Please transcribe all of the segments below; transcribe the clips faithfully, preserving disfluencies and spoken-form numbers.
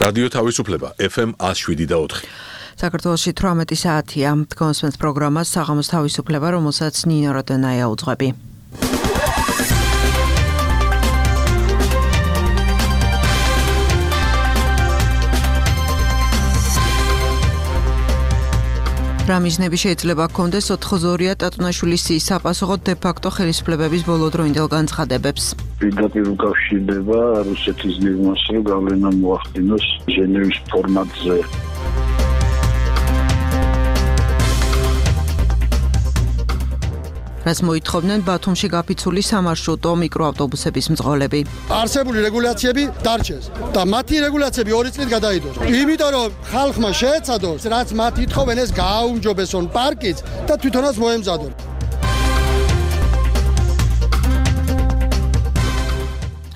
რადიო თავისუფლება ეფ ემ one oh seven და four. საქართველოში თვრამეტი საათია. კონსპენს პროგრამას საღამოს თავისუფლება, რომელსაც ნინო როდენაია უძღვები. რა მიზნები შეიძლება ჰქონდეს ოთხმოცდაორი ტატუნაშვილის საპასუხოდ დე-ფაქტო ხელისუფლებების ბოლოდროინდელ განცხადებებს. პირდაპირ უკავშირდება რუსეთის გეგმას, რომ გავლენა მოახდინოს ჟენევის ფორმატზე. რაც მოითხოვდნენ ბათუმში გაფიცული სამარშრუტო მიკროავტობუსების მძღოლები. არსებული რეგულაციები დარჩეს და მათი რეგულაციები ორი წლით გადაიდოს. იმიტომ რომ ხალხმა შეეცადოს, რაც მათ ითხოვენ, ეს გააუმჯობესონ პარკიც და თვითონაც მოემზადონ.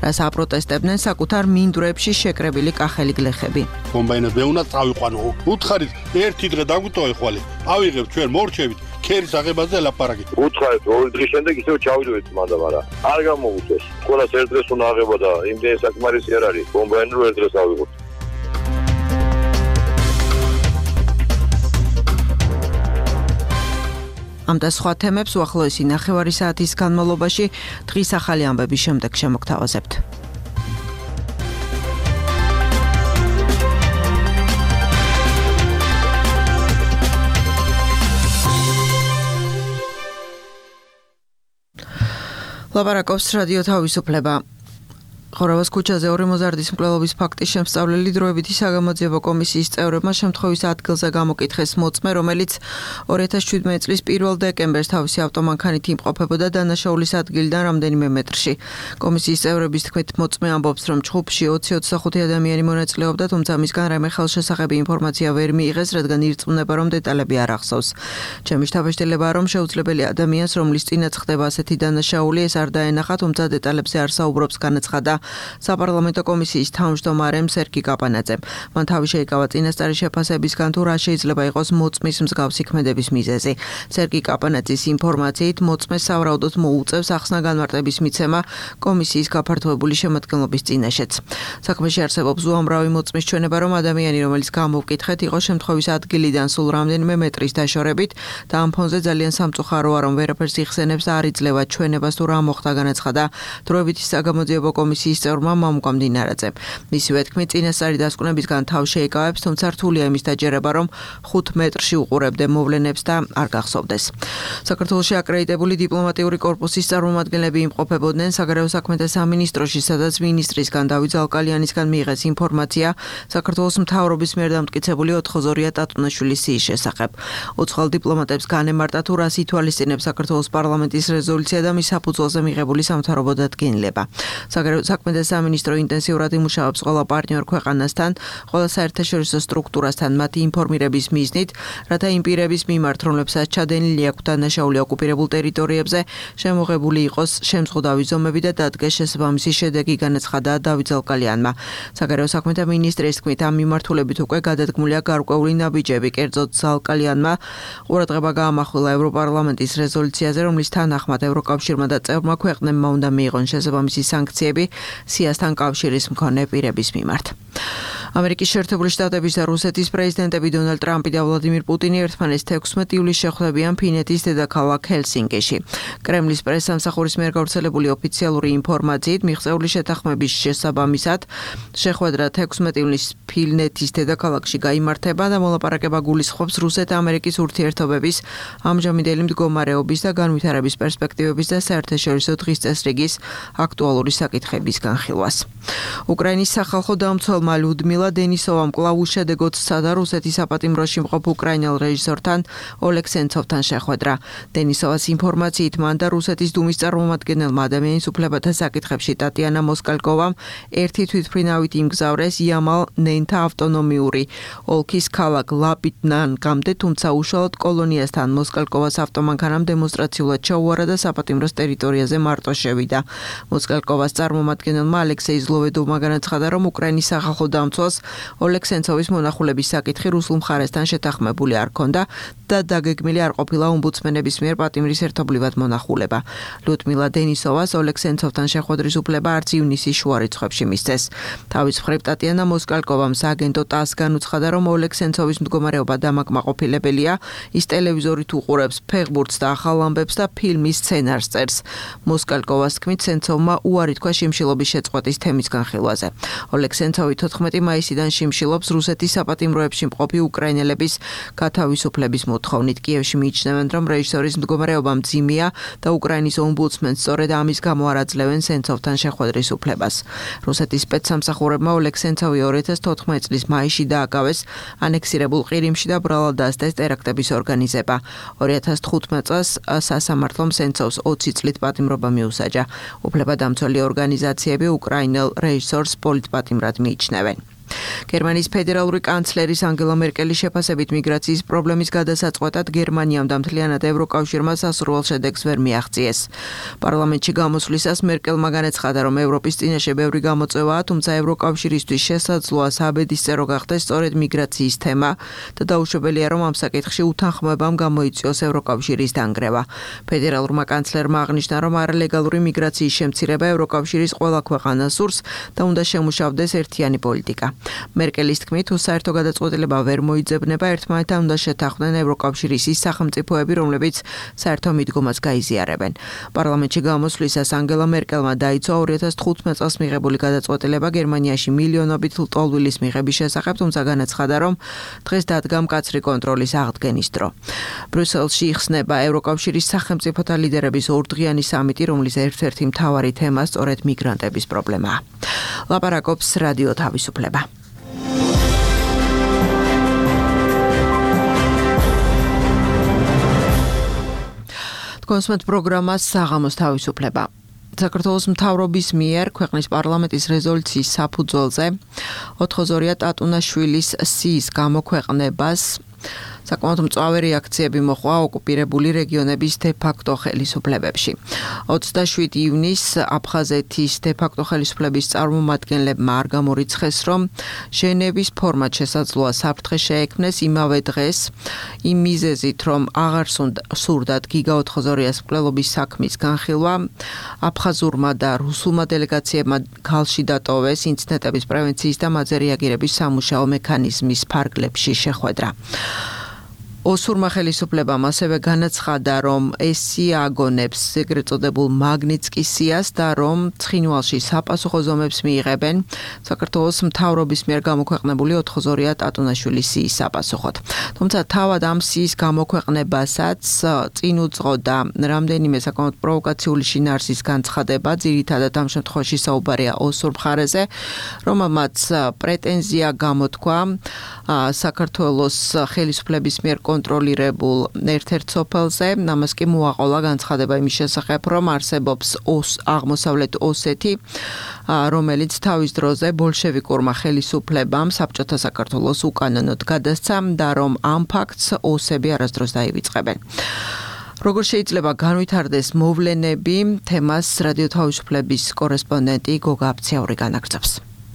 რას აპროტესტებდნენ საკუთარ მინდვრებში შეკრებილი კახელი გლეხები. კომბაინებს მეუნად წავიყვანო. უთხარით ერთი დღე დაგვიტოვე ხვალე. ავიღებ ჩვენ მორჩებით ქერის აღებაზე ლაპარაკით. უთხარით ორი დღის შემდეგ ისევ ჩავიდოდეთ მანდა, მაგრამ არ გამოუწეს. ყველას ერთ დღეს უნდა აღება და იმდენი საკმარისი არ არის. კომბაინი რო ერთ დღეს ავიღოთ. ამ და სხვა თემებს უახლოესი ნახევარი საათის განმავლობაში დღის ახალი ამბების შემდეგ შემოგთავაზებთ. ლაპარაკობს რადიო თავისუფლება. ხორავას ქუჩაზე ორი მოზარდის მკვლელობის ფაქტის შემსწავლელი დროებითი საგამოძიებო კომისიის წევრებმა შემთხვევის ადგილზე გამოკითხეს მოწმე, რომელიც ორი ათას შვიდმეტი წლის პირველ დეკემბერს თავისი ავტომანქანით იმყოფებოდა დანაშაულის ადგილიდან რამდენიმე მეტრში. კომისიის წევრების თქმით, მოწმე ამბობს, რომ ჯგუფში ოცი ოცდახუთი ადამიანი მონაწილეობდა, თუმცა მისგან რაიმე ხელშესახები ინფორმაცია ვერ მიიღეს, რადგან ირწმუნება, რომ დეტალები არ ახსოვს. ჩემი შთაბეჭდილებაა, რომ შეუძლებელი ადამიანს, რომლის წინაც ხდება ასეთი დანაშაული, ეს არ დაენახა, თუმცა დეტალებზე არ საუბრობს, განაცხადა საპარლამენტო კომისიის თავმჯდომარემ სერგი კაპანაძემ. მან თავი შეიკავა წინასწარი შეფასებისგან, თუ რა შეიძლება იყოს მოწმის მსგავსი ქმედების მიზეზი. სერგი კაპანაძის ინფორმაციით, მოწმეს სავარაუდოდ მოუწევს ახსნა განმარტების მიცემა კომისიის გაფართოებული შემადგენლობის წინაშეც. საქმეში არსებობს უამრავი მოწმის ჩვენება, რომ ადამიანი, რომელიც გამოვკითხეთ, იყო შემთხვევის ადგილიდან სულ რამდენიმე მეტრის დაშორებით და ამ ფონზე ძალიან სამწუხაროა, რომ ვერაფერს იხსენებს და არ იძლევა ჩვენებას, თუ რა მოხდა, განაცხადა დროებითი საგამოძიებო კომისიის წევრმა მამუკა მდინარაძემ. მისივე თქმით, წინასწარი დასკვნებისგან თავ შეიკავებს, თუმცა რთულია იმის დაჯერება, რომ ხუთ მეტრში უყურებდე მოვლენებს და არ გახსოვდეს. საქართველოში აკრედიტებული დიპლომატიური კორპუსის წარმომადგენლები იმყოფებოდნენ საგარეო საქმეთა სამინისტროში, სადაც მინისტრისგან დავით ზალკალიანისგან მიიღეს ინფორმაცია საქართველოს მთავრობის მიერ დამტკიცებული ოთხმოცდაორი ტატუნაშვილის სიის შესახებ. უცხოელ დიპლომატებს განემარტა, თუ რას ითვალისწინებს საქართველოს პარლამენტის რეზოლუცია და მის საფუძველზე მიღებული სამთავრობო დადგენილება. საგარეო საქმეთა სამინისტრო ინტენსიურად იმუშავებს ყველა პარტნიორ ქვეყანასთან, ყველა საერთაშორისო სტრუქტურასთან მათი ინფორმირების მიზნით, რათა იმ პირების მიმართ, რომლებსაც ჩადენილი აქვთ დანაშაული ოკუპირებულ ტერიტორიებზე, შემოღებული იყოს შემზღუდავი ზომები და დადგეს შესაბამისი შედეგი, განაცხადა დავით ზალკალიანმა. საგარეო საქმეთა მინისტრის თქმით, ამ მიმართულებით უკვე გადადგმულია გარკვეული ნაბიჯები. კერძოდ, ზალკალიანმა ყურადღება გაამახვილა ევროპარლამენტის რეზოლუციაზე, რომლის თანახმად ევროკავშირმა და წევრმა ქვეყნებმა უნდა მიიღონ შესაბამისი სანქციები სიასთან კავშირის მქონე პირების მიმართ. ამერიკის შეერთებული შტატების და რუსეთის პრეზიდენტები დონალდ ტრამპი და ვლადიმირ პუტინი ერთმანეთს თექვსმეტი ივლისს შეხვდებიან ფინეთის დედაქალაქ ჰელსინკიში. კრემლის პრესსამსახურის მიერ გავრცელებული ოფიციალური ინფორმაციით, მიღწეული შეთანხმების შესაბამისად, შეხვედრა თექვსმეტი ივლისს ფინეთის დედაქალაქში გაიმართება და მოლაპარაკება გულისხმობს რუსეთ-ამერიკის ურთიერთობების ამჟამინდელი მდგომარეობის და განვითარების პერსპექტივების და საერთაშორისო დღის წესრიგის აქტუალური საკითხების განხილვას. უკრაინის სახალხო დამცველმა ლუდმილა დენისოვამ კვლავ უშედეგოდ სცადა რუსეთის საპატიმროში მყოფ უკრაინელ რეჟისორთან ოლეგ სენცოვთან შეხვედრა. დენისოვას ინფორმაციით, მან და რუსეთის დუმის წარმომადგენელმა ადამიანის უფლებათა საკითხებში ტატიანა მოსკალკოვამ ერთი თვითმფრინავით იმგზავრეს იამალ-ნენთა ავტონომიური ოლქის ქალაქ ლაბიტნანგამდე, თუმცა უშუალოდ კოლონიასთან მოსკალკოვას ავტომანქანამ დემონსტრაციულად ჩაუარა და საპატიმროს ტერიტორიაზე მარტო შევიდა. მოსკალკოვას წარმომადგენელი წარმომადგენელმა ალექსეი ზლოვედოვმა განაცხადა, რომ უკრაინის სახალხო დამცველს ოლეგ სენცოვის მონახულების საკითხი რუსულ მხარესთან შეთანხმებული არ ჰქონდა და დაგეგმილი არ ყოფილა ომბუდსმენების მიერ პატიმრის ერთობლივად მონახულება. ლუდმილა დენისოვას ოლეგ სენცოვთან შეხვედრის უფლება არც ივნისის შუა რიცხვებში მისცეს. თავის მხრივ ტატიანა მოსკალკოვამ სააგენტო ტას განუცხადა, რომ ოლეგ სენცოვის მდგომარეობა დამაკმაყოფილებელია, ის ტელევიზორით უყურებს ფეხბურთს და ახალ ამბებს და ფილმის სცენარს წერს. მოსკალკოვას თქმით, სენცოვმა უარი თქვა შიმშილობის შეწყვეტის თემის განხილვაზე. ოლეგ სენცოვი თოთხმეტი მაისიდან შიმშილობს რუსეთის საპატიმროებში მყოფი უკრაინელების გათავისუფლების მოთხოვნით. კიევში მიიჩნევენ, რომ რეჟისორის მდგომარეობა მძიმეა და უკრაინის ომბუდსმენს სწორედ ამის გამო არ აძლევენ სენცოვთან შეხვედრის უფლებას. რუსეთის სპეცსამსახურებმა ოლეგ სენცოვი ორი ათას თოთხმეტი წლის მაისში დააკავეს ანექსირებულ ყირიმში და ბრალად დასდეს ტერაქტების ორგანიზება. ორი ათას თხუთმეტ წელს სასამართლომ სენცოვს ოცი წლით პატიმრობა მიუსაჯა. უფლებადამცველი ორგანიზაციები უკრაინელ რეჟისორს პოლიტპატიმრად მიიჩნევენ. გერმანიის ფედერალური კანცლერის ანგელა მერკელის შეფასებით მიგრაციის პრობლემის გადასაწყვეტად გერმანიამ და მთლიანად ევროკავშირმა სასურველ შედეგს ვერ მიაღწიეს. პარლამენტში გამოსვლისას მერკელმა განაცხადა, რომ ევროპის წინაშე ბევრი გამოწვევაა, თუმცა ევროკავშირისთვის შესაძლოა საბედისწერო გახდეს სწორედ მიგრაციის თემა და დაუშვებელია, რომ ამ საკითხში უთანხმოებამ გამოიწვიოს ევროკავშირის დანგრევა. ფედერალურმა კანცლერმა აღნიშნა, რომ არალეგალური მიგრაციის შემცირება ევროკავშირის ყველა ქვეყანას სურს და უნდა შემუშავდეს ერთიანი პოლიტიკა. მერკელის თქმით, თუ საერთო გადაწყვეტილება ვერ მოიძებნება, ერთმანეთთან უნდა შეთანხმდნენ ევროკავშირის ის სახელმწიფოები, რომლებიც საერთო მიდგომას გაიზიარებენ. პარლამენტში გამოსვლისას ანგელა მერკელმა დაიცვა ორი ათას თხუთმეტ წელს მიღებული გადაწყვეტილება გერმანიაში მილიონობით ლტოლვილის მიღების შესახებ, თუმცა განაცხადა, რომ დღეს დადგა მკაცრი კონტროლის აღდგენის დრო. ბრიუსელში იხსნება ევროკავშირის სახელმწიფოთა ლიდერების ორდღიანი სამიტი, რომლის ერთ-ერთი მთავარი თემა სწორედ მიგრანტების პრობლემაა. ლაპარაკობს რადიო თავისუფლება. კონსუმენტ პროგრამას საღამოს თავისუფლება. საქართველოს მთავრობის მიერ ქვეყნის პარლამენტის რეზოლუციის საფუძველზე ოთხოზორია ტატუნაშვილის სიის გამოქვეყნებას საკმაოდ მწვავე რეაქციები მოჰყვა ოკუპირებული რეგიონების დე-ფაქტო ხელისუფლებებში. ოცდაშვიდი ივნისს აფხაზეთის დე-ფაქტო ხელისუფლების წარმომადგენლებმა არ გამორიცხეს, რომ ჟენევის ფორმატ შესაძლოა საფრთხე შეექმნეს იმავე დღეს, იმ მიზეზით, რომ აღარ სურდათ გიგა ოთხოზორიას მკვლელობის საქმის განხილვა, აფხაზურმა და რუსულმა დელეგაციებმა ქალში დატოვეს ინციდენტების პრევენციის და მათზე რეაგირების სამუშაო მექანიზმის ფარგლებში შეხვედრა. ოსურმა ხელისუფლებამ ასევე განაცხადა, რომ ეს სია აგონებს ეგრეთ წოდებულ მაგნიცკის სიას და რომ ცხინვალში საპასუხო ზომებს მიიღებენ საქართველოს მთავრობის მიერ გამოქვეყნებული ოთხოზორია ტატუნაშვილის სიის საპასუხოდ. თუმცა თავად ამ სიის გამოქვეყნებასაც წინ უძღოდა რამდენიმე საკმაოდ პროვოკაციული შინაარსის განცხადება, ძირითადად ამ შემთხვევაში საუბარია ოსურ მხარეზე, რომელმაც პრეტენზია გამოთქვა საქართველოს ხელისუფლების მიერ კონტროლირებულ ერთ-ერთ სოფელზე, ამას კი მოაყოლა განცხადება იმის შესახებ, რომ არსებობს ოს აღმოსავლეთ ოსეთი, რომელიც თავის დროზე ბოლშევიკურმა ხელისუფლებამ საბჭოთა საქართველოს უკანონოდ გადასცა და რომ ამ ფაქტს ოსები არასდროს დაივიწყებენ. როგორ შეიძლება განვითარდეს მოვლენები, თემას რადიო თავისუფლების კორესპონდენტი გოგა აფციური განაგრძობს.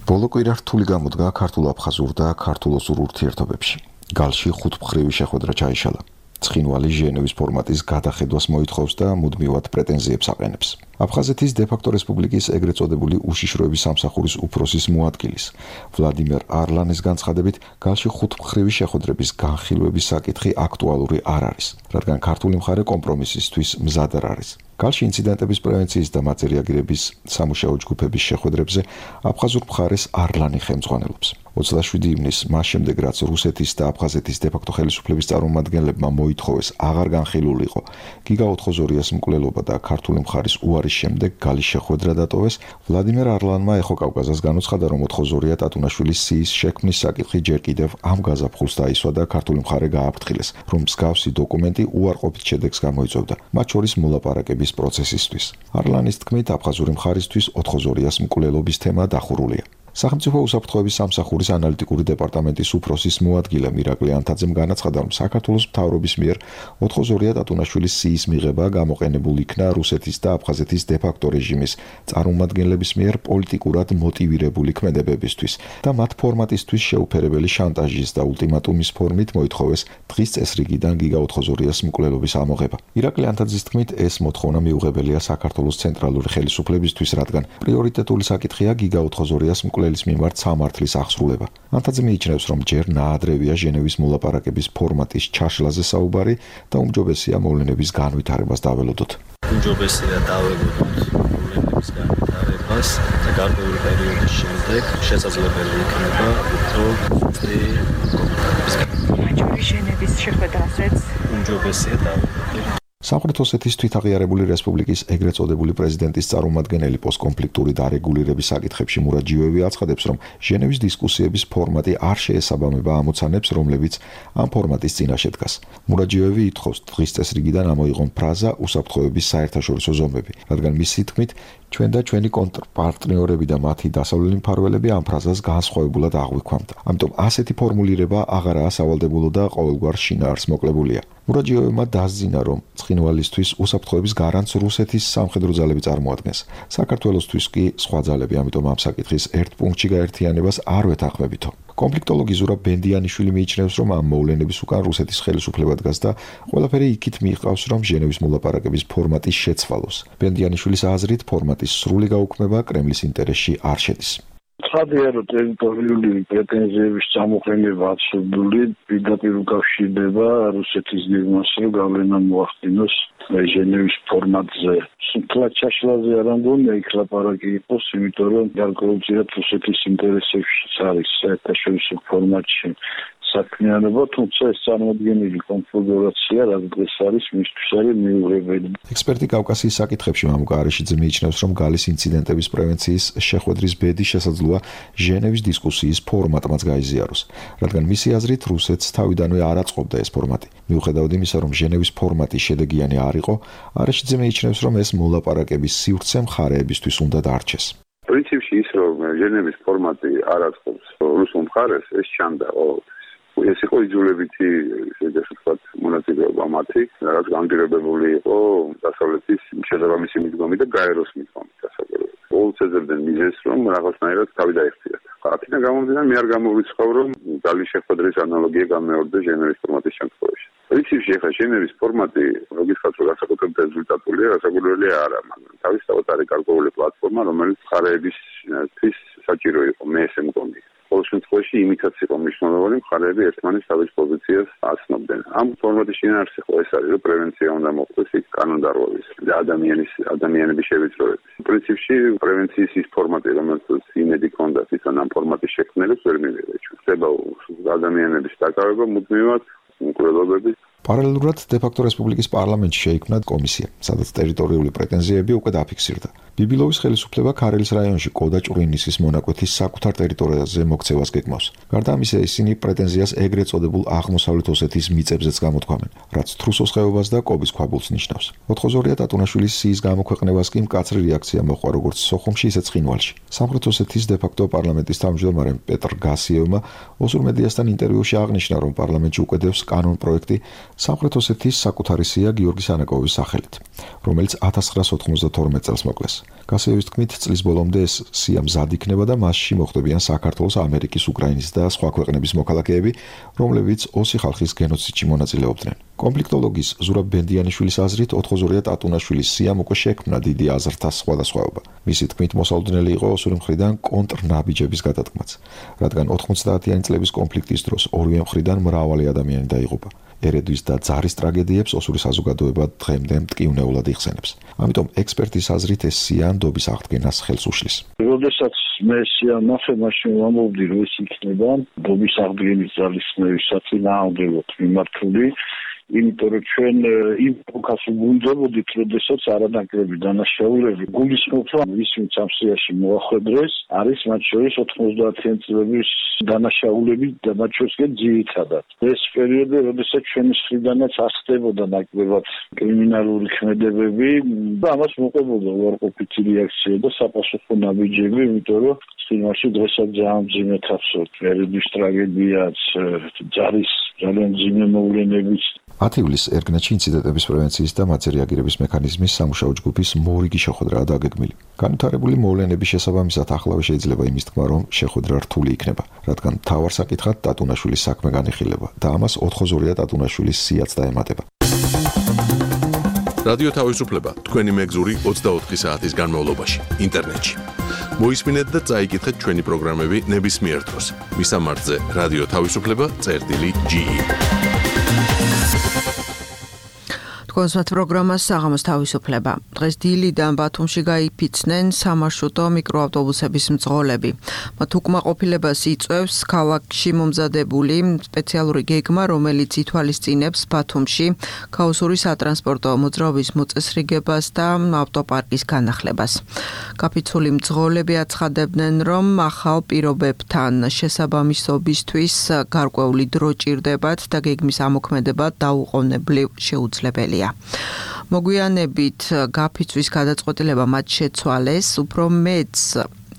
ბოლო კვირა რთული გამოდგა ქართულ-აფხაზურ და ქართულ-ოსურ ურთიერთობებში. გალში ხუთმხრივი შეხვედრა ჩაიშალა. ცხინვალი ჟენევის ფორმატის გადახედვას მოითხოვს და მუდმივად პრეტენზიებს აყენებს. აფხაზეთის დე-ფაქტო რესპუბლიკის ეგრეთ წოდებული უშიშროების სამსახურის უფროსის მოადგილის ვლადიმერ არლანის განცხადებით, გალში ხუთმხრივი შეხვედრების განხილვების საკითხი აქტუალური არ არის, რადგან ქართული მხარე კომპრომისისთვის მზად არ არის. გალში ინციდენტების პრევენციის და მათზე რეაგირების სამუშაო ჯგუფების შეხვედრებზე აფხაზურ მხარეს არლანი ხელმძღვანელობს. ოცდაშვიდი ივნისს, მას შემდეგ რაც რუსეთის და აფხაზეთის დე-ფაქტო ხელისუფლების წარმომადგენლებმა მოითხოვეს აღარ განხილულიყო გიგა ოთხოზორიას მკვლელობა და ქართული მხარის უარის შემდეგ გალის შეხვედრა დატოვეს, ვლადიმერ არლანმა ეხო კავკაზას განუცხადა, რომ ოთხოზორია ტატუნაშვილის სიის შექმნის საკითხი ჯერ კიდევ ამ გაზაფხულს დაისვა და ქართული მხარე გააფრთხილეს, რომ მსგავსი დოკუმენტი უარყოფით შედეგს გამოიწვევდა, მათ შორის მოლაპარაკების პროცესისთვის. არლანის თქმით, აფხაზური მხარისთვის ოთხოზორიას მკვლელობის თემა დახურულია. სახელმწიფო უსაფრთხოების სამსახურის ანალიტიკური დეპარტამენტის უფროსის მოადგილე მირაკლი ანთაძემ განაცხადა, რომ საქართველოს მთავრობის მიერ ოთხმოცდაორი ტატუნაშვილის სიის მიღება გამოყენებულ იქნა რუსეთის და აფხაზეთის დე-ფაქტო რეჟიმის წარმომადგენლების მიერ პოლიტიკურად მოტივირებული ქმედებებისთვის და მათ ფორმატისთვის შეუფერებელი შანტაჟის და ულტიმატუმის ფორმით მოითხოვეს დღის წესრიგიდან გიგა ოთხმოცდაორიას მკვლელობის ამოღება. მირაკლი ანთაძის თქმით, ეს მოთხოვნა მიუღებელია საქართველოს ცენტრალური ხელისუფლებისთვის, რადგან პრიორიტეტული საკითხია გიგა ოთხმოცდაორიას მკვლელის მიმართ სამართლის აღსრულება. ანთაძე მიიჩნევს, რომ ჯერ ნაადრევია ჟენევის მოლაპარაკების ფორმატის ჩაშლაზე საუბარი და უმჯობესია მოვლენების განვითარებას დაველოდოთ. უმჯობესია დაველოდოთ მოვლენების განვითარებას და გარკვეული პერიოდის შემდეგ შესაძლებელი იქნება უფრო ძლიერი კომენტარების განვითარება. ჟენევის შეხვედრასაც უმჯობესია დაველოდოთ. სამხრეთ ოსეთის თვითაღიარებული რესპუბლიკის ეგრეთ წოდებული პრეზიდენტის წარმომადგენელი პოსტკონფლიქტური დარეგულირების საკითხებში მურაჯიოევი აცხადებს, რომ ჟენევის დისკუსიების ფორმატი არ შეესაბამება ამოცანებს, რომლებიც ამ ფორმატის წინაშე დგას. მურაჯიოევი ითხოვს დღის წესრიგიდან ამოიღონ ფრაზა უსაფრთხოების საერთაშორისო ზომები, რადგან მისი თქმით, ჩვენ და ჩვენი კონტრპარტნიორები და მათი დასავლელი მფარველები ამ ფრაზას განსხვავებულად აღვიქვამთ. ამიტომ ასეთი ფორმულირება აღარაა სავალდებულო და ყოველგვარ შინაარს მოკლებულია. მურაჯიოევმა დასძინა, რომ ცხინვალისთვის უსაფრთხოების გარანტს რუსეთის სამხედრო ძალები წარმოადგენს. საქართველოსთვის კი სხვა ძალები, ამიტომ ამ საკითხის ერთ პუნქტში გაერთიანებას არ ვეთანხმებითო. კონფლიქტოლოგი ზურაბ ბენდიანიშვილი მიიჩნევს, რომ ამ მოვლენების უკან რუსეთის ხელისუფლება დგას და ყველაფერი იქით მიიღავს, რომ ჟენევის მოლაპარაკების ფორმატი შეცვალოს. ბენდიანიშვილის აზრით, ფორმატის სრული გაუქმება კრემლის ინტერესში არ შედის. ცხადია, რომ ტერიტორიული პრეტენზიების წამოყენება აბსურდული პირდაპირ უკავშირდება რუსეთის გეგმას, რომ გავლენა მოახდინოს ჟენევის ფორმატზე. სულ ჩაშლაზე არ ამგონია იქ ლაპარაკი იყოს, იმიტომ რომ გარკვეულწილად რუსეთის ინტერესებშიც არის საერთაშორისო ფორმატში საქმიანობა, თუმცა ეს წარმოადგენელი კონფიგურაცია, რაც დღეს არის, მისთვის არის მიუღებელი. ექსპერტი კავკასიის საკითხებში მამუკა არიშიძე მიიჩნევს, რომ გალის ინციდენტების პრევენციის შეხვედრის ბედი შესაძლოა ჟენევის დისკუსიის ფორმატმაც გაიზიაროს, რადგან მისი აზრით რუსეთს თავიდანვე არ აწყობდა ეს ფორმატი. მიუხედავად იმისა, რომ ჟენევის ფორმატი შედეგიანი არ იყო, არიშიძე მიიჩნევს, რომ ეს მოლაპარაკების სივრცე მხარეებისთვის უნდა დარჩეს. პრინციპში ის, რომ ჟენევის ფორმატი არ აწყობს რუსულ მხარეს, ეს ჩანდა. ეს იყო იძულებითი, შეიძლება ვთქვათ, მონაწილეობა მათი, რაც განპირობებული იყო დასავლეთის შესაბამისი მიდგომი და გაეროს მიდგომი დასავლეთის. ყოველს ეძებდნენ მიზეზს, რომ რაღაცნაირად თავი დაიხციათ. აქედან გამომდინარე, მე არ გამოვიწყავ, რომ გალის შეხვედრის ანალოგია გამეორდა ჟენევის ფორმატის შემთხვევაში. პრინციპში ახლა ჟენევის ფორმატი, როგისაც რომ განსაკუთრებით რეზულტატულია, განსაკუთრებული არა, მაგრამ თავისთავად არის გარკვეული პლატფორმა, რომელიც მხარეებისთვის საჭირო იყო, მე ესე მგონი. ყოველ შემთხვევაში იმითაც იყო მნიშვნელოვანი, მხარეები ერთმანეთს თავის პოზიციას აცნობდნენ. ამ ფორმატის შინაარსი ხო ეს არის, რომ პრევენცია უნდა მოხდეს იქ კანონდარღვევის და ადამიანის ადამიანების შევიწროების. პრინციპში პრევენციის ის ფორმატი, რომელსაც იმედი ჰქონდა თვითონ ამ ფორმატის შექმნელებს ვერ მივიღე. ხდება ადამიანების დაკავება მუდმივად მკვლელობებით. პარალელურად დე-ფაქტო რესპუბლიკის პარლამენტში შეიქმნა კომისია, სადაც ტერიტორიული პრეტენზიები უკვე დაფიქსირდა. ბიბილოვის ხელისუფლება ქარელის რაიონში კოდა-ჭურინისის მონაკვეთის საკუთარ ტერიტორიაზე მოქცევას გეგმავს. გარდა ამისა, ისინი პრეტენზიას ეგრეთ წოდებულ აღმოსავლეთ ოსეთის მიწებზეც გამოთქვამენ, რაც თრუსოს ხეობას და კობის ქვაბულს ნიშნავს. ოთხმოცდაორი ტატუნაშვილის სიის გამოქვეყნებას კი მკაცრი რეაქცია მოჰყვა როგორც სოხუმში, ისე ცხინვალში. სამხრეთ ოსეთის დე-ფაქტო პარლამენტის თავმჯდომარემ პეტრ გასიევმა ოსურ მედიასთან ინტერვიუში აღნიშნა, რომ პარლამენტში უკვე დევს კანონ პროექტი სამხრეთ ოსეთის საკუთარი სია გიორგი სანაკოვის სახელით, რომელიც ათას ცხრაას ოთხმოცდათორმეტ წელს მოკლეს. გასიევის თქმით, წლის ბოლომდე ეს სია მზად იქნება და მასში მოხვდებიან საქართველოს, ამერიკის, უკრაინის და სხვა ქვეყნების მოქალაქეები, რომლებიც ოსი ხალხის გენოციდში მონაწილეობდნენ. კონფლიქტოლოგის ზურაბ ბენდიანიშვილის აზრით, ოთხმოცდაორი ტატუნაშვილის სიამ უკვე შექმნა დიდი აზრთა სხვადასხვაობა. მისი თქმით, მოსალოდნელი იყო ოსური მხრიდან კონტრნაბიჯების გადადგმაც, რადგან ოთხმოცდაათიანი წლების კონფლიქტის დროს ორივე მხრიდან მრავალი ადამიანი დაიღუპა. ერედვის და ძარის ტრაგედიებს ოსური საზოგადოება დღემდე მტკივნეულად იხსენებს. ამიტომ ექსპერტის აზრით ეს სია ნდობის აღდგენას ხელს უშლის. როდესაც მე სია ნახე, მაშინ ვამბობდი, რომ ეს იქნება ნდობის აღდგენის ძალისხმევისათვის ნაადრევად მიმართული, იმიტომ რომ ჩვენ იმ ფოკას ვუძლებოდით, როდესაც არანაკლები დანაშაულები გულისხმობთ, რომ ის ვინც ამ სიაში მოახვედრეს, არის მათ შორის ოთხმოცდაათიანი წლების დანაშაულები და მათ შორის ძირითადად. ეს პერიოდი, როდესაც ჩვენი მხრიდანაც არ ხდებოდა ნაკლებად კრიმინალური ქმედებები და ამას მოყვებოდა უარყოფითი რეაქცია და საპასუხო ნაბიჯები, იმიტომ რომ წინაშე დღესაც ძალიან მძიმე თავს ერების ტრაგედიაც, ჯარის ძალიან მძიმე მოვლენებიც. ათი ივლისს ერგნეთში ინციდენტების პრევენციის და მათზე რეაგირების მექანიზმის სამუშაო ჯგუფის მორიგი შეხვედრაა დაგეგმილი. განვითარებული მოვლენების შესაბამისად ახლავე შეიძლება იმის თქმა, რომ შეხვედრა რთული იქნება, რადგან მთავარ საკითხად ტატუნაშვილის საქმე განიხილება და ამას ოთხოზორია ტატუნაშვილის სიაც დაემატება. რადიო თავისუფლება თქვენი მეგზური ოცდაოთხი საათის განმავლობაში ინტერნეტში. მოისმინეთ და წაიკითხეთ ჩვენი პროგრამები ნებისმიერ დროს. მისამართზე რადიო თავისუფლება წერტილი ჯი. კონსერტ პროგრამას საღამოს თავისუფლება. დღეს დილიდან ბათუმში გაიფიცნენ სამარშრუტო მიკროავტობუსების მძღოლები. მათ უკმაყოფილებას იწვევს ქალაქში მომზადებული სპეციალური გეგმა, რომელიც ითვალისწინებს ბათუმში ქაოსური სატრანსპორტო მოძრაობის მოწესრიგებას და ავტოპარკის განახლებას. კაფიცული მძღოლები აცხადებდნენ, რომ ახალ პირობებთან შესაბამისობისთვის გარკვეული დრო ჭირდებათ და გეგმის ამოქმედება დაუყოვნებლივ შეუძლებელია. მოგვიანებით გაფიცვის გადაწყვეტილება მათ შეცვალეს, უფრო მეც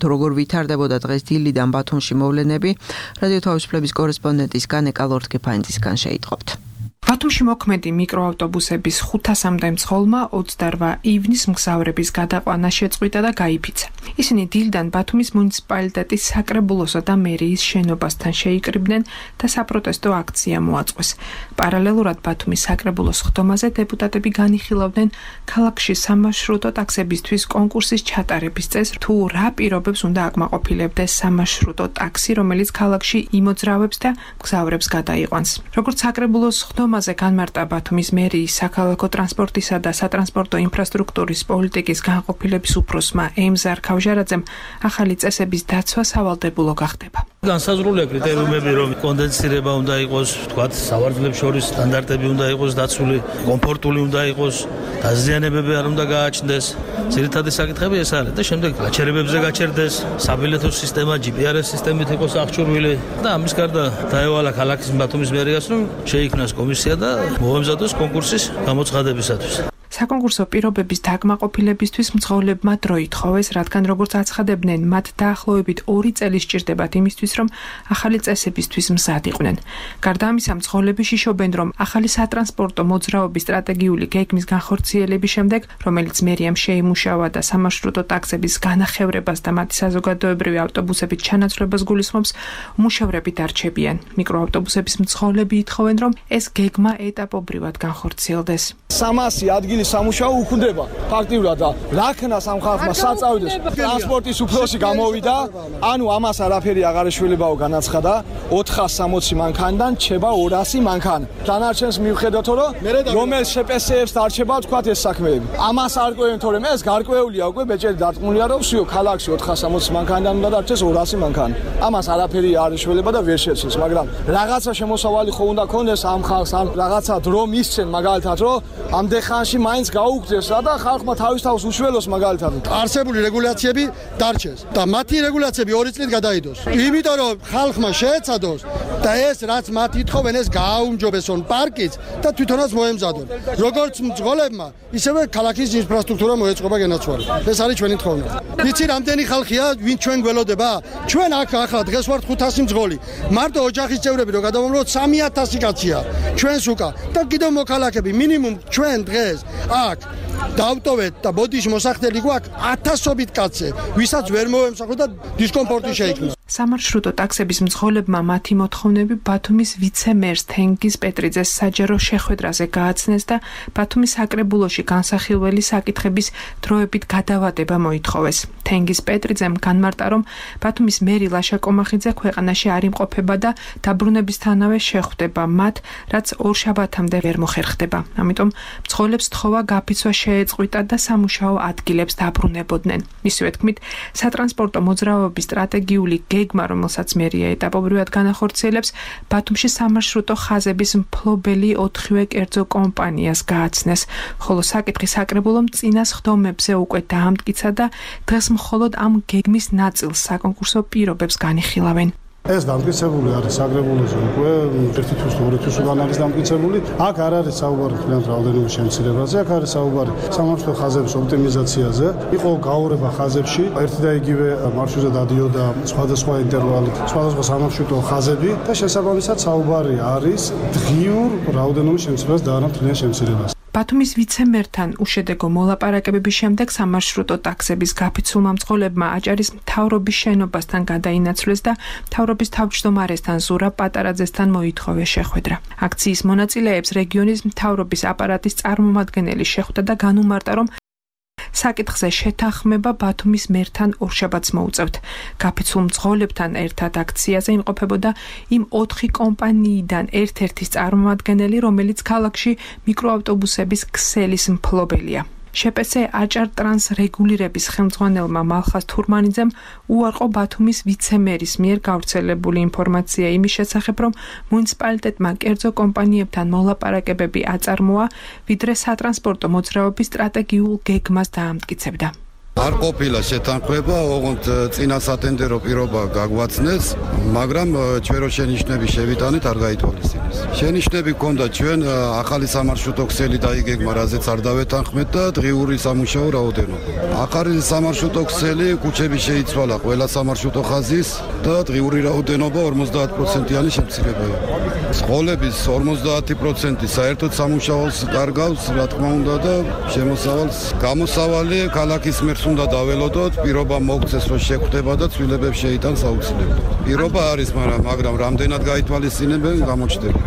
თუ როგორ ვითარდებოდა დღეს დილიდან ბათუმში მოვლენები, რადიო თავისუფლების კორესპონდენტის განეკა ლორთქიფანძისგან შეიტყობთ. ბათუმში მოქმედი მიკროავტობუსების ხუთასამდე მძღოლმა ოცდაორმა ივნის მგზავრების გადაყვანა შეწყვიტა და გაიფიცა. ისინი დილიდან ბათუმის მუნიციპალიტეტის საკრებულოსა და მერიის შენობასთან შეიკრიბნენ და საპროტესტო აქცია მოაწყვეს. პარალელურად ბათუმის საკრებულოს ხდომაზე დეპუტატები განიხილავდნენ ქალაქში სამარშრუტო ტაქსებისთვის კონკურსის ჩატარების წესს, თუ რა პირობებს უნდა აკმაყოფილებდეს სამარშრუტო ტაქსი, რომელიც ქალაქში იმოძრავებს და მგზავრებს გადაიყვანს. როგორც საკრებულოს ხდომაზე განმარტა ბათუმის მერიის საქალაქო ტრანსპორტისა და სატრანსპორტო ინფრასტრუქტურის პოლიტიკის განყოფილების უფროსმა ემზარ ქავჟარაძემ, ახალი წესების დაცვა სავალდებულო გახდება. განსაზღვრულია კრიტერიუმები, რომ კონდენსირება უნდა იყოს, თქვათ, სავარძლებს შორის სტანდარტები უნდა იყოს დაცული, კომფორტული უნდა იყოს, დაზიანებები არ უნდა გააჩნდეს. ძირითადი საკითხები ეს არის და შემდეგ გაჩერებებზე გაჩერდეს, საბილეთო სისტემა ჯი პი არ ეს სისტემით იყოს აღჭურვილი და ამის გარდა დაევალა ქალაქის ბათუმის მერიას, რომ შეიქმნას კომისია და მოემზადოს კონკურსის გამოცხადებისათვის. საკონკურსო პირობების დაკმაყოფილებისთვის მძღოლებმა დრო ითხოვეს, რადგან როგორც აცხადებდნენ, მათ დაახლოებით ორი წელი სჭირდებათ იმისთვის, რომ ახალი წესებისთვის მზად იყვნენ. გარდა ამისა, მძღოლები შიშობენ, რომ ახალი სატრანსპორტო მოძრაობის სტრატეგიული გეგმის განხორციელების შემდეგ, რომელიც მერიამ შეიმუშავა და სამარშრუტო ტაქსების განახევრებას და მათი საზოგადოებრივი ავტობუსებით ჩანაცვლებას გულისხმობს, უმუშევრები დარჩებიან. მიკროავტობუსების მძღოლები ითხოვენ, რომ ეს გეგმა ეტაპობრივად განხორციელდეს. სამასი ადგილი სამუშაო უქმდება ფაქტიურად და რაქნას ამ ხალხმა საწავდეს ტრანსპორტის უფროსი გამოვიდა, ანუ ამას არაფერი აღარ ეშველებაო განაცხადა, ოთხას სამოცი მანქანიდან ჩება ორასი მანქანა. დანარჩენს მივხედოთ, რომ რომელ შე პე ეს-ებს დარჩება თქვათ ეს საქმეები. ამას არ ყვევენ, თორემ ეს გარკვეულია უკვე ბეჭედი დარწმუნია, რომ всё ქალაქში ოთხას სამოცი მანქანიდან უნდა დარჩეს ორასი მანქანა. ამას არაფერი არ ეშველება და ვერ შეცეს, მაგრამ რაღაცა შემოსავალი ხო უნდა ქონდეს ამ ხალხს, ან რაღაცა დრო მისცენ მაგალითად, რომ ამდენ მაინც გაუგდეს რა და ხალხმა თავის თავს უშველოს მაგალითად. არსებული რეგულაციები დარჩეს და მათი რეგულაციები ორი წლით გადაიდოს. იმიტომ რომ ხალხმა შეეცადოს და ეს რაც მათ ითხოვენ ეს გააუმჯობესონ პარკიც და თვითონაც მოემზადონ. როგორც მძღოლებმა, ისევე ქალაქის ინფრასტრუქტურა მოეწყობა განაცვალა. ეს არის ჩვენი თხოვნა. ვიცი რამდენი ხალხია, ვინ ჩვენ გველოდება? ჩვენ აქ ახლა დღეს ვართ ხუთასი მძღოლი. მარტო ოჯახის წევრები რო გადავამროთ სამი ათასი კაცია. ჩვენს უკა და კიდევ მოქალაქეები მინიმუმ ჩვენ დღეს აქ დავტოვეთ და ბოდიში მოსახდელი გვაქვს ათასობით კაცზე, ვისაც ვერ მოემსახურა და დისკომფორტი შეიქმნა. სამარშრუტო ტაქსების მძღოლებმა მათი მოთხოვნები ბათუმის ვიცე-მერს თენგიზ პეტრიძეს საჯარო შეხვედრაზე გააცნეს და ბათუმის საკრებულოში განსახილველი საკითხების დროებით გადავადება მოითხოვეს. თენგიზ პეტრიძემ განმარტა, რომ ბათუმის მერი ლაშა კომახიძე ქვეყანაში არ იმყოფება და დაბრუნებისთანავე შეხვდება მათ, რაც ორშაბათამდე ვერ მოხერხდება. ამიტომ მცხოვრებლებს თხოვა გაფიცვა შეეწყვიტათ და სამუშაო ადგილებს დაბრუნებოდნენ. მისივე თქმით, სატრანსპორტო მოძრაობის სტრატეგიული გეგმა, რომელსაც მერია ეტაპობრივად განახორციელებს, ბათუმში სამარშრუტო ხაზების მფლობელი ოთხივე კერძო კომპანიას გააცნეს, ხოლო საკითხი საკრებულომ წინა სხდომებზე უკვე დაამტკიცა და დღეს მხოლოდ ამ გეგმის ნაწილს საკონკურსო პირობებს განიხილავენ. ეს დამტკიცებული არის საკრებულოზე უკვე ერთი თვის თუ ორი თვის უკან არის დამტკიცებული. აქ არ არის საუბარი თლიანად რაოდენობის შემცირებაზე, აქ არის საუბარი სამარშრუტო ხაზების ოპტიმიზაციაზე. იყო გაურება ხაზებში, ერთი და იგივე მარშრუტზე დადიოდა სხვადასხვა ინტერვალით, სხვადასხვა სამარშრუტო ხაზები და შესაბამისად საუბარი არის დღიურ რაოდენობის შემცირებას და არა თლიან შემცირებას. ბათუმის ვიცემერთან უშედეგო მოლაპარაკებების შემდეგ სამარშრუტო ტაქსების გაფიცულმა მძღოლებმა აჭარის მთავრობის შენობასთან გადაინაცვლეს და მთავრობის თავმჯდომარესთან ზურაბ პატარაძესთან მოითხოვეს შეხვედრა. აქციის მონაწილეებს რეგიონის მთავრობის აპარატის წარმომადგენელი შეხვდა და განუმარტა, რომ საკითხზე შეთანხმება ბათუმის მერთან ორშაბათს მოუწევთ. გაფიცულ მძღოლებთან ერთად აქციაზე იმყოფებოდა იმ ოთხი კომპანიიდან ერთ-ერთის წარმომადგენელი, რომელიც ქალაქში მიკროავტობუსების ქსელის მფლობელია. შეპეცე აჭარ ტრანს რეგულირების ხელმძღვანელმა მალხას თურმანიძემ უარყო ბათუმის ვიცემერის მიერ გავრცელებული ინფორმაცია იმის შესახებ, რომ მუნიციპალიტეტმა კერძო კომპანიებთან მოლაპარაკებები აწარმოა, ვიდრე სატრანსპორტო მოძრაობის სტრატეგიულ გეგმას დაამტკიცებდა. არ ყოფილა შეთანხმება, ოღონდ წინა სატენდერო პირობა გაგვაცნეს, მაგრამ ჩვენ რო შენიშვნები შევიტანეთ, არ გაითვალისწინეს. შენიშვნები ჰქონდა ჩვენ ახალი სამარშრუტო ქსელი დაიგეგმა, რაზეც არ დავეთანხმეთ და დღიური სამუშაო რაოდენობა. ახალი სამარშრუტო ქსელი ქუჩები შეიცვალა ყველა სამარშრუტო ხაზის და დღიური რაოდენობა ორმოცდაათ პროცენტიანი შემცირებაა. სკოლების ორმოცდაათი პროცენტი საერთოდ სამუშაოს კარგავს, რა თქმა უნდა და შემოსავალს გამოსავალი ქალაქის მერს უნდა დაველოდოთ, პირობა მოგცეს რომ შეხვდება და ცვლილებებს შეიტანს აუცილებლად. პირობა არის, მაგრამ მაგრამ რამდენად გაითვალისწინებენ გამოჩნდება.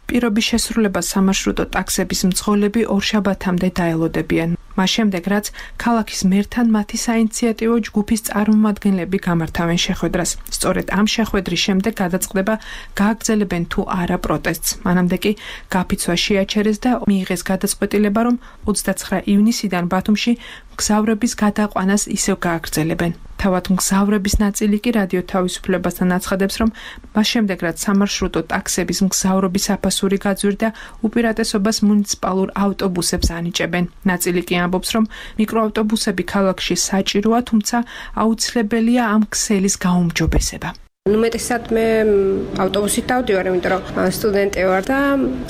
პირობის შესრულებას სამარშრუტო ტაქსების მძღოლები ორშაბათამდე დაელოდებიან. მას შემდეგ, რაც ქალაქის მერთან მათი საინიციატივო ჯგუფის წარმომადგენლები გამართავენ შეხვედრას. სწორედ ამ შეხვედრის შემდეგ გადაწყდება გააგრძელებენ თუ არა პროტესტს. მანამდე კი გაფიცვა შეაჩერეს და მიიღეს გადაწყვეტილება, რომ ოცდაცხრა ივნისიდან ბათუმში მგზავრების გადაყვანას ისევ გააგრძელებენ. თავად მგზავრების ნაწილი კი რადიო თავისუფლებასთან აცხადებს, რომ მას შემდეგ, რაც სამარშრუტო ტაქსების მგზავრობის აფასური გაძვირდა, უპირატესობას მუნიციპალურ ავტობუსებს ანიჭებენ. ნაწილი კი ამბობს, რომ მიკროავტობუსები ქალაქში საჭიროა, თუმცა აუცილებელია ამ ქსელის გაუმჯობესება. ნუ მეტისად მე ავტობუსით დავდივარ, იმიტომ რომ სტუდენტი ვარ და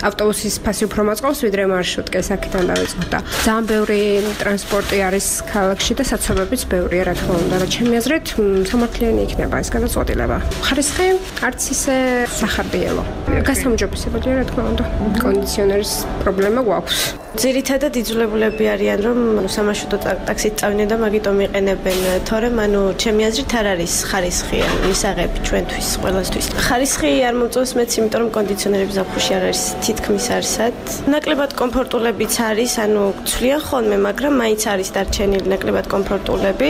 ავტობუსის ფასი უფრო მოწყობს, ვიდრე მარშრუტკას აქედან დავიწყოთ და ძალიან ბევრი ტრანსპორტი არის ქალაქში და საცობებიც ბევრია, რა თქმა უნდა, და ჩემი აზრით სამართლიანი იქნება ეს გადაწყვეტილება. ხარისხი არც ისე სახარბიელო. გასამჯობესებელია, რა თქმა უნდა. კონდიციონერის პრობლემა გვაქვს. ძირითადად იძულებულები არიან, რომ სამარშრუტო ტაქსით წავიდნენ და მაგიტომ იყენებენ, თორემ ანუ ჩემი აზრით არ არის ხარისხი მისაღები ჩვენთვის, ყველასთვის. ხარისხი არ მომწონს მეც, იმიტომ რომ კონდიციონერები ზაფხულში არ არის თითქმის არსად. ნაკლებად კომფორტულებიც არის, ანუ ცვლიან ხოლმე, მაგრამ მაინც არის დარჩენილი ნაკლებად კომფორტულები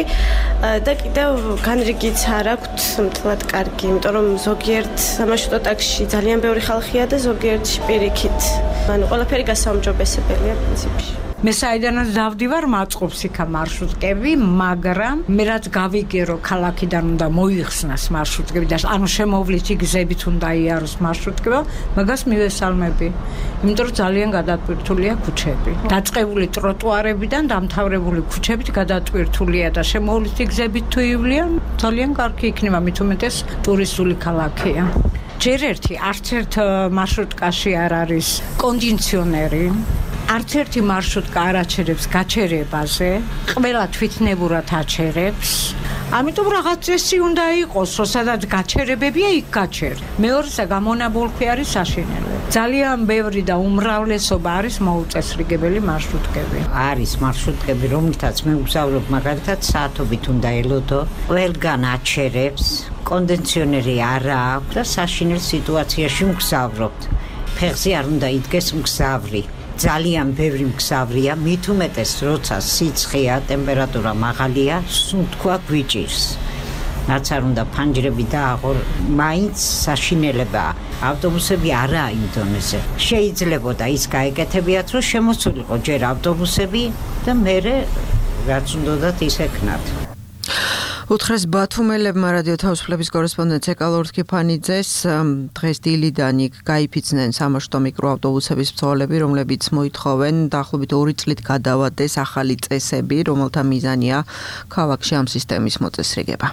და კიდევ განრიგიც არ აქვთ მთლად კარგი, იმიტომ რომ ზოგიერთ სამარშრუტო ტაქსში ძალიან ბევრი ხალხია და ზოგიერთში პირიქით. ანუ ყველაფერი გასაუმჯობესებელია პრინციპში. მე საიდანაც დავდივარ, მაწყობს იქა მარშრუტკები, მაგრამ მე რაც გავიგე, რომ ქალაქიდან უნდა მოიხსნას მარშრუტკები და ანუ შემოვლითი გზებით უნდა იაროს მარშრუტკება, მაგას მივესალმები. იმიტომ რომ ძალიან გადატვირთულია ქუჩები. დაწყებული ტროტუარებიდან დამთავრებული ქუჩებით გადატვირთულია და შემოვლითი გზებით თუ ივლიან, ძალიან კარგი იქნება, მით უმეტეს ტურისტული ქალაქია. ჯერ ერთი არც ერთ მარშრუტკაში არ არის კონდიციონერი. არც ერთი მარშრუტკა არ აჩერებს გაჩერებაზე, ყველა თვითნებურად აჩერებს. ამიტომ რაღაც წესი უნდა იყოს, რომ სადაც გაჩერებებია, იქ გაჩერ. მეორესა გამონაბოლქვი არის საშინელი. ძალიან ბევრი და უმრავლესობა არის მოუწესრიგებელი მარშრუტკები. არის მარშრუტკები, რომლითაც მე ვგზავრობ, მაგალითად საათობით უნდა ელოდო, ყველგან აჩერებს, კონდიციონერი არ აქვს და საშინელ სიტუაციაში მგზავრობთ. ფეხზე არ უნდა იდგეს მგზავრი. ძალიან ბევრი მგზავრია, მით უმეტეს როცა სიცხეა, ტემპერატურა მაღალია, სუნთქვა გვიჭირს. რაც არ უნდა ფანჯრები დააღო, მაინც საშინელებაა. ავტობუსები არაა იმ დონეზე. შეიძლებოდა ის გაეკეთებიათ, რომ შემოსულიყო ჯერ ავტობუსები და მერე რაც უნდათ ის ეკნათ. უთხრეს ბათუმელებმა რადიო თავისუფლების კორესპონდენტ ეკალორ თქიფანიძეს დღეს დილიდან იქ გაიფიცნენ სამაშტო მიკროავტობუსების მცხოვრები, რომლებიც მოითხოვენ დაახლოებით ორი წლით გადავადეს ახალი წესები, რომელთა მიზანია ქალაქში ამ სისტემის მოწესრიგება.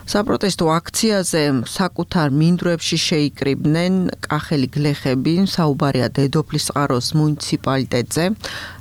საპროტესტო აქციაზე საკუთარ მინდვრებში შეიკრიბნენ კახელი გლეხები, საუბარია დედოფლისწყაროს მუნიციპალიტეტზე,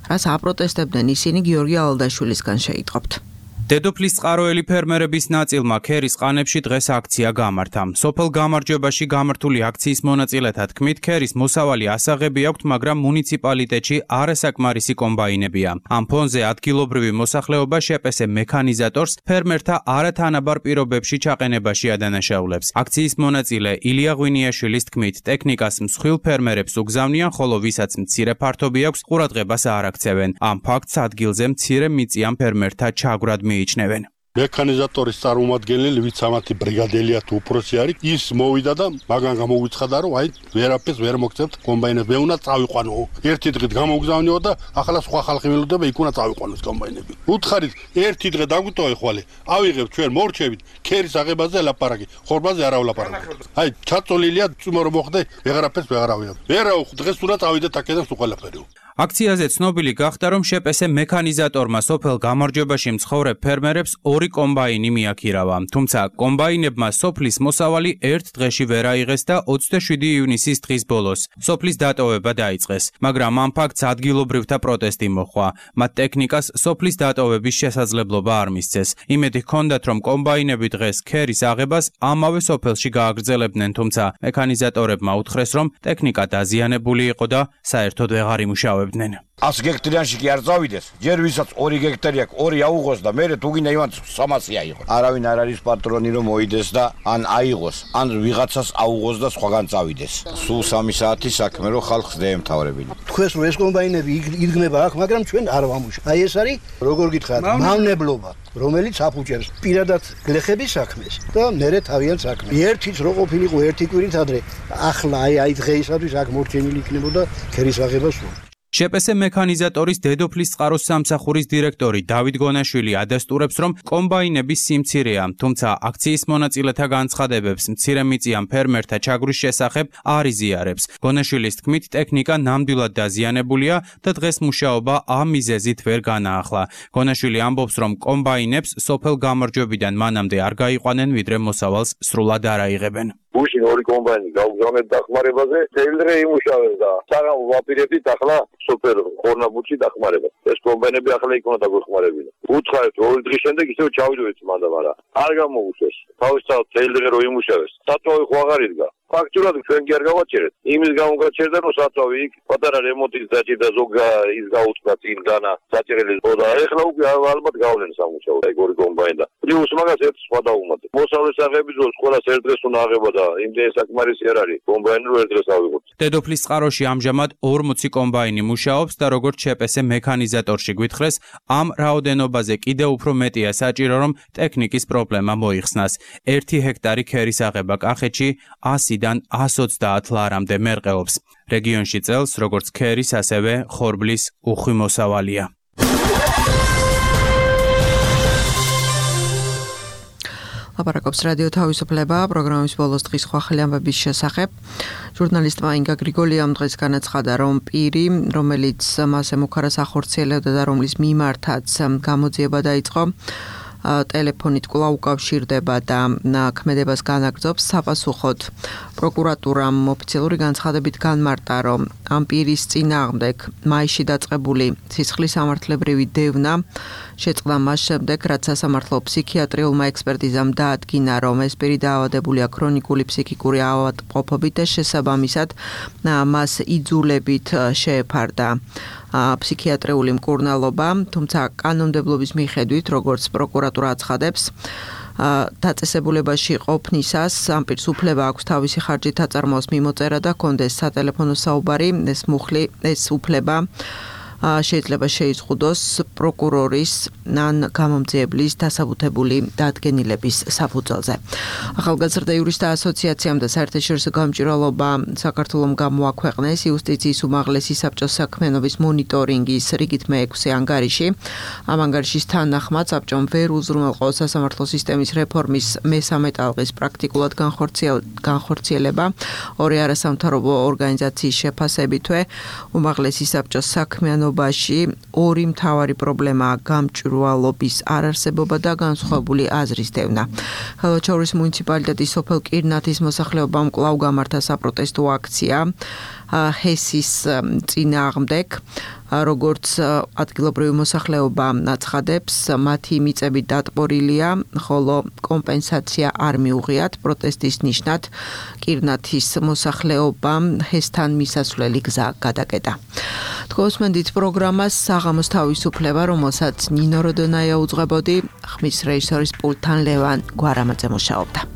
რაც აპროტესტებდნენ ისინი გიორგი ალდაშვილისგან შეიტყობთ. დედოფლისწყაროელი ფერმერების ნაწილმა ქერის ყანებში დღეს აქცია გამართა. სოფელ გამარჯვებაში გამართული აქციის მონაწილეთა თქმით, ქერის მოსავალი ასაღები აქვთ, მაგრამ მუნიციპალიტეტში არასაკმარისი კომბაინებია. ამ ფონზე ადგილობრივი მოსახლეობა შეპესე მექანიზატორს ფერმერთა არათანაბარ პირობებში ჩაყენებაში ადანაშაულებს. აქციის მონაწილე ილია ღვინიაშვილის თქმით, ტექნიკას მსხვილ ფერმერებს უგზავნიან, ხოლო ვისაც მცირე ფართობი აქვს, ყურადღებას არ აქცევენ. ამ ფაქტს ადგილზე მცირე მიწიან ფერმერთა ჩაგვრად მიიჩნევენ. მექანიზატორის წარმომადგენელი, ვიც ამათი ბრიგადელია თუ უფროსი არის, ის მოვიდა და მაგან გამოგვიცხადა, რომ აი ვერაფერს ვერ მოგწევთ კომბაინებს, მე უნდა წავიყვანო. ერთი დღით გამოგზავნიო და ახლა სხვა ხალხი ველოდება, იქ უნდა წავიყვანოს კომბაინები. უთხარით, ერთი დღე დაგვიტოვე ხვალე, ავიღებ ჩვენ მორჩებით, ქერის აღებაზე ლაპარაკი, ხორბაზე არა ვლაპარაკობ. აი ჩაწოლილია, წუმო რომ მოხდე, ვეღარაფერს ვეღარ ავიღებ. ვერა დღეს უნდა წავიდეთ აქედან სულ ყველაფერი. აქციაზე ცნობილი გახდა, რომ შეპესე მექანიზატორმა სოფელ გამარჯვებაში მცხოვრებ ფერმერებს ორი კომბაინი მიაქირავა. თუმცა კომბაინებმა სოფლის მოსავალი ერთ დღეში ვერ აიღეს და ოცდაშვიდი ივნისის დღის ბოლოს სოფლის დატოვება დაიწყეს. მაგრამ ამ ფაქტს ადგილობრივთა პროტესტი მოჰყვა. მათ ტექნიკას სოფლის დატოვების შესაძლებლობა არ მისცეს. იმედი ჰქონდათ, რომ კომბაინები დღეს ქერის აღებას ამავე სოფელში გააგრძელებდნენ, თუმცა მექანიზატორებმა უთხრეს, რომ ტექნიკა დაზიანებული იყო და საერთოდ ვეღარ იმუშავებდა. ას გექტრიანში კი არ წავიდეს, ჯერ ვისაც ორი გექტარი აქვს, ორი აუღოს და მერე თუ გინდა იმან სამასი აიღოს. არავინ არ არის პატრონი რომ მოიდეს და ან აიღოს, ან ვიღაცას აუღოს და სხვაგან წავიდეს. სულ სამი საათი საქმე რომ ხალხს დაემთავრებინა. თქვენს რომ ეს კომბაინები იდგნება აქ, მაგრამ ჩვენ არ ვამუშავებთ. აი ეს არის, როგორ გითხრათ, მავნებლობა, რომელიც აფუჭებს პირადად გლეხების საქმეს და მერე თავიანთ საქმეს. ერთიც რო ყოფილიყო ერთი კვირით ადრე, ახლა აი აი დღეისათვის აქ მორჩენილი იქნებოდა ქერის აღება სულ. შეპესე მექანიზატორის დედოფლისწყაროს სამსახურის დირექტორი დავით გონაშვილი ადასტურებს, რომ კომბაინების სიმცირეა, თუმცა აქციის მონაწილეთა განცხადებებს მცირემიწიან ფერმერთა ჩაგვრის შესახებ არ იზიარებს. გონაშვილის თქმით, ტექნიკა ნამდვილად დაზიანებულია და დღეს მუშაობა ამ მიზეზით ვერ განაახლა. გონაშვილი ამბობს, რომ კომბაინებს სოფელ გამარჯვებიდან მანამდე არ გაიყვანენ, ვიდრე მოსავალს სრულად არ აიღებენ. გუშინ ორი კომბაინი გავგზავნეთ დახმარებაზე, თელდრე იმუშავებს და საღამო ვაპირებდით ახლა სოფელ ხორნაბუდში დახმარება. ეს კომბაინები ახლა იქ უნდა დაგვეხმარებინა. უცხარეთ ორი დღის შემდეგ ისევ ჩავიდოდეთ მანდა, მაგრამ არ გამოუწეს. თავისთავად თელდრე რო იმუშავებს, საწვავი ხო აღარ იდგა. ფაქტურად ჩვენ კი არ გავაჭერეთ. იმის გამო გაჩერდა, რომ საწვავი იქ პატარა რემონტის დაჭირდა ზოგ ის გაუწდა წინ განა საჭირელი და ეხლა უკვე ალბათ გავლენ სამუშაო და ორი კომბაინი და პლუს მაგას ერთ სხვა დაუმატე. მოსავლის აღების დროს ყველას ერთ დღეს უნდა აღება და იმდენ საკმარისი არ არის კომბაინი რო ერთ დღეს ავიღოთ. დედოფლისწყაროში ამჟამად ორმოცი კომბაინი მუშაობს და როგორც შეპესე მექანიზატორში გვითხრეს, ამ რაოდენობაზე კიდევ უფრო მეტია საჭირო, რომ ტექნიკის პრობლემა მოიხსნას. ერთი ჰექტარი ქერის აღება კახეთში ასიდან ას ოცდაათ ლარამდე მერყეობს. რეგიონში წელს როგორც ქერის, ასევე ხორბლის უხვი მოსავალია. ლაპარაკობს რადიო თავისუფლება პროგრამის ბოლოს დღის სხვა ხელი ამბების შესახებ. ჟურნალისტმა ინგა გრიგოლიამ დღეს განაცხადა, რომ პირი, რომელიც მას ემუქარას ახორციელებდა და რომლის მიმართაც გამოძიება დაიწყო, ტელეფონით კვლავ უკავშირდება და ქმედებას განაგრძობს. საპასუხოდ პროკურატურამ ოფიციალური განცხადებით განმარტა, რომ ამ პირის წინააღმდეგ მაისში დაწყებული სისხლის სამართლებრივი დევნა შეწყდა მას შემდეგ, რაც სასამართლო ფსიქიატრიულმა ექსპერტიზამ დაადგინა, რომ ეს პირი დაავადებულია ქრონიკული ფსიქიკური ავადმყოფობით და შესაბამისად მას იძულებით შეეფარდა ფსიქიატრიული მკურნალობა, თუმცა კანონმდებლობის მიხედვით, როგორც პროკურატურა აცხადებს, დაწესებულებაში ყოფნისას ამ პირს უფლება აქვს თავისი ხარჯით აწარმოოს მიმოწერა და კონდეს სატელეფონო საუბარი, ეს მუხლი, ეს უფლება შეიძლება შეიზღუდოს პროკურორის ან გამომძიებლის დასაბუთებული დადგენილების საფუძველზე. ახალგაზრდა იურისტთა ასოციაციამ და საერთაშორისო გამჭვირვალობა საქართველომ გამოაქვეყნეს იუსტიციის უმაღლესი საბჭოს საქმიანობის მონიტორინგის რიგით მეექვსე ანგარიში. ამ ანგარიშის თანახმად საბჭომ ვერ უზრუნველყო სასამართლო სისტემის რეფორმის მესამე ტალღის პრაქტიკულად განხორციელება ორი არასამთავრობო ორგანიზაციის შეფასებითვე უმაღლესი საბჭოს საქმიანობის ორი მთავარი პრობლემაა გამჭვირვალობის არარსებობა და განსხვავებული აზრის დევნა. ხალხური მუნიციპალიტეტის სოფელ კირნათის მოსახლეობამ კვლავ გამართა საპროტესტო აქცია ჰესის წინააღმდეგ, როგორც ადგილობრივი მოსახლეობა აცხადებს, მათი მიწები დატბორილია, ხოლო კომპენსაცია არ მიუღიათ. პროტესტის ნიშნად კირნათის მოსახლეობამ ჰესთან მისასვლელი გზა გადაკეტა. თქოსმენდით პროგრამას საღამოს თავისუფლება, რომელსაც ნინო როდონაია უძღვებოდი, ხმის რეჟისორის პულტთან ლევან გვარამაძე მუშაობდა.